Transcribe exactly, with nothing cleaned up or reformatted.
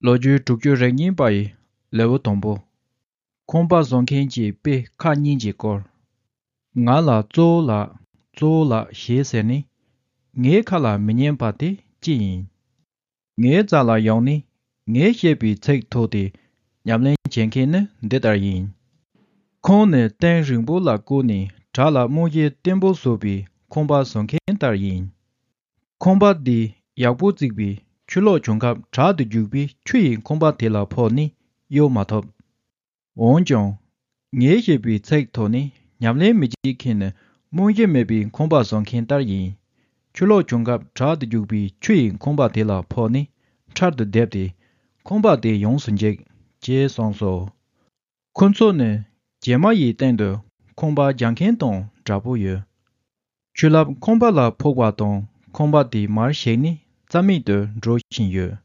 ལོ་རྒྱུས་དྲུག་ཅུ་རེ་གཉིས་པ་ཡི་ལེའུ་དང་པོ། ཁང་པ་བཟོ་མཁན་གྱི་དཔེ་ཁག་གཉིས་ཀྱི་སྐོར། ང་ལ་གཙོ་བོ་ལགས། གཙོ་བོ་ལགས་ཞེས་ཟེར་ནས། ངའི་ཁ་ལ་མི་ཉན་པ་དེ་ཅི་ཡིན། ངའི་རྩ་ལ་ཡོང་ནས་ངས་བཤད་པའི་ཚིག་ཐོགས་ཏེ་ཉམས་ལེན་བྱེད་མཁན་ནི་འདི་ལྟར་ཡིན། ཁོང་ནི་སྟེང་རིང་པོ་ལ་བཀོད་ནས་བྲག་ལ་རྨང་གཞི་བརྟན་པོ་བཟོ་བའི་ཁང་པ་བཟོ་མཁན་ལྟར་ཡིན། ཁང་པ་འདི་ཡག་པོ་བརྩིགས་པས་ཆུ་ལོག་བྱུང་སྐབས་དྲག་ཏུ་རྒྱུག་པས་ཆུ་ཡིས་ཁང་པ་དེ་ལ་ཕོག་ནས་གཡོལ་མ་ཐུབ། འོན་ཀྱང་། ངས་བཤད་པའི་ཚིག་ཐོགས་ནས་ཉམས་ལེན་མི་བྱེད་མཁན་ནི་རྨང་གཞི་མེད་པའི་ཁང་པ་བཟོ་མཁན་ལྟར་ཡིན། ཆུ་ལོག་བྱུང་སྐབས་དྲག་ཏུ་རྒྱུག་པའི་ཆུ་ཡིས་ཁང་པ་དེ་ལ་ཕོག་ནས་ཁྲལ་དུ་བསྡེབས་ཏེ་ཁང་པ་དེ་ཡོངས་སུ་འཇིག་ཅེས་གསུངས་སོ། ཁོ་ཚོ་ནི་བྱེ་མ་ཡི་སྟེང་དུ་ཁང་པ་རྒྱག་མཁན་དང་འདྲ་པོ་ཡོད། ཆུ་རླབས་ཁང་པ་ལ་ཕོག་པ་དང་ཁང་པ་དེ་མར་ཞིག་ནས་རྩ་མེད་དུ་འགྲོ་བཞིན་ཡོད།